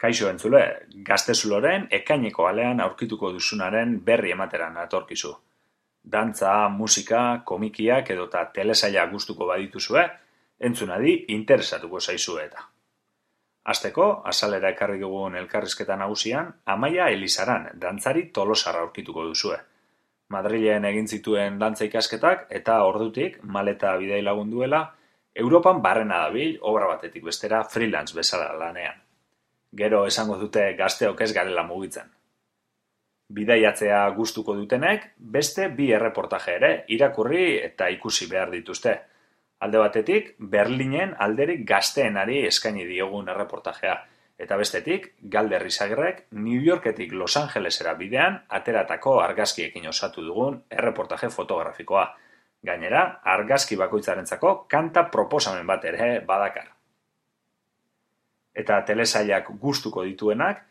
Kaixo entzule, Gaztezuloren ekaineko alean aurkituko duzunaren berri emateran natorkizu. Dantza, musika, komikiak edota telesaila gustuko badituzue, entzunadi interesatuko zaizue eta. Hasteko, azalera ekarri dugun elkarrizketa nagusian, Amaia Elizaran dantzari tolosarra aurkituko duzue. Madrilen egin zituen dantza ikasketak eta ordutik, maleta bidai lagunduela, Europan barrena dabil obra batetik bestera freelance bezala lanean. Gero esango dute gazteok ez garela mugitzen. Bidaiatzea gustuko dutenek, beste bi erreportaje ere irakurri eta ikusi behar dituzte. Alde batetik, Berlinen alderik gazteenari eskaini diogun erreportajea, eta bestetik, Galder Izagirrek New Yorketik Los Angelesera bidean ateratako argazkiekin osatu dugun erreportaje fotografikoa. Gainera, argazki bakoitzarentzako kanta proposamen bat ere badakar. Eta telesailak gustuko dituenak,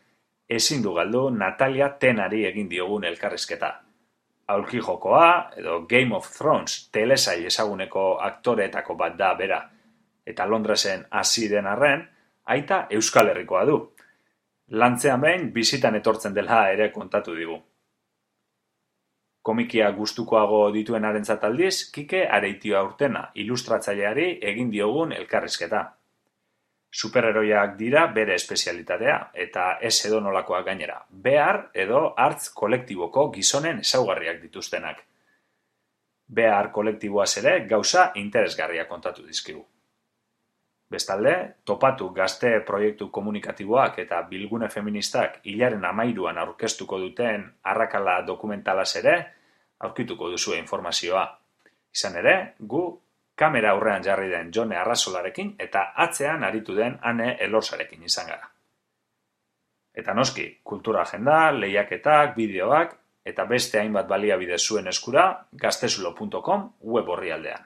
ezin du galdu Natalia Tenari egin diogun elkarrizketa. Aulki jokoa, edo Game of Thrones telesail ezaguneko aktoreetako bat da bera. Eta Londresen hasi den arren, aita Euskal Herrikoa du. Lantzean behin bizitan etortzen dela ere kontatu digu. Komikia gustukoago dituenarentzat aldiz, Kike Areitio Aurtena ilustratzaileari egin diogun elkarrizketa. Superheroiak dira bere espezialitatea, eta ez edonolakoak gainera, behar edo hartz kolektiboko gizonen ezaugarriak dituztenak. Behar kolektiboaz ere gauza interesgarria kontatu dizkigu. Bestalde, Topatu gazte proiektu komunikatiboak eta bilgune feministak hilaren 13an aurkeztuko duten arrakala dokumentalaz ere aurkituko duzue informazioa. Izan ere, gu kamera aurrean jarri den Jone Arrazolarekin eta atzean aritu den Ane Elorzarekin izan gara. Eta noski, kultura agenda, lehiaketak, bideoak eta beste hainbat baliabide zuen eskura gaztezulo.com web orrialdean.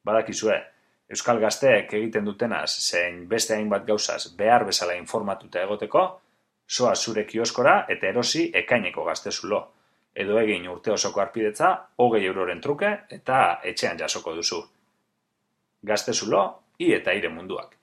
Badakizue, Euskal Gazteek egiten dutenaz zein beste hainbat gauzaz behar bezala informatuta egoteko, zoa zure kioskora eta erosi ekaineko Gaztezulo. Edo egin urte osoko harpidetza 20 euroren truke eta etxean jasoko duzu. Gaztezulo, i eta ire munduak.